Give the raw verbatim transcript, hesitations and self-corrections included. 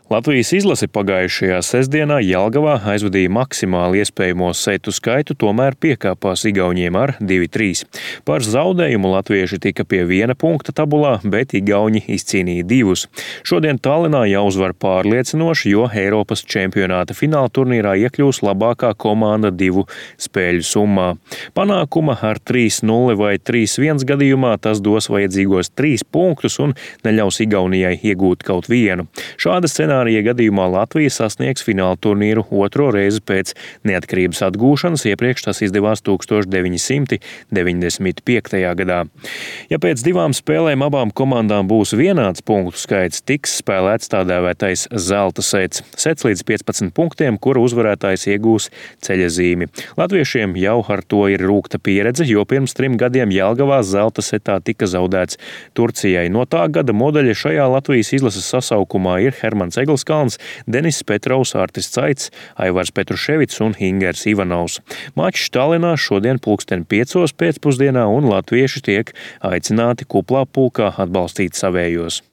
Latvijas izlase pagājušajā sestdienā Jelgavā aizvadīja maksimāli iespējamo setu skaitu, tomēr piekāpās igauniem ar divi trīs. Par zaudējumu latvieši tika pie viena punkta tabulā, bet igauņi izcīnīja divus. Šodien Tallinā jāuzvar pārliecinoši, jo Eiropas čempionāta fināla turnīrā iekļūs labākā komanda divu spēļu summā. Panākuma ar trīs nulle vai trīs viens gadījumā tas dos vajadzīgos trīs punktus un neļaus Igaunijai iegūt kaut vienu. Šāda scenārija gadījumā Latvija sasniegs fināla turnīru otro reizi pēc neatkarības atgūšanas, iepriekš tas izdevās tūkstoš deviņi simti deviņdesmit piektajā gadā. Ja pēc divām spēlēm abām komandām būs vienāds punktu skaits, tiks spēlēts tā dēvētais zelta sets. Sets līdz piecpadsmit punktiem, kura uzvarētājs iegūs ceļazīmi. Latviešiem jau ar to ir rūkta pieredze, jo pirms trim gadiem Jelgavā zelta setā tika zaudēts Turcijai. No tā gada modeļa šajā Latvijas izlases sasaukumā ir Hermans Egelskalns, Denis Petrovs, Artis Caits, Aivars Petruševics un Ingers Ivanovs. Mačs Tallinā šodien pulksten piecos pēcpusdienā un latvieši tiek aicināti kuplā pulkā atbalstīt savējos.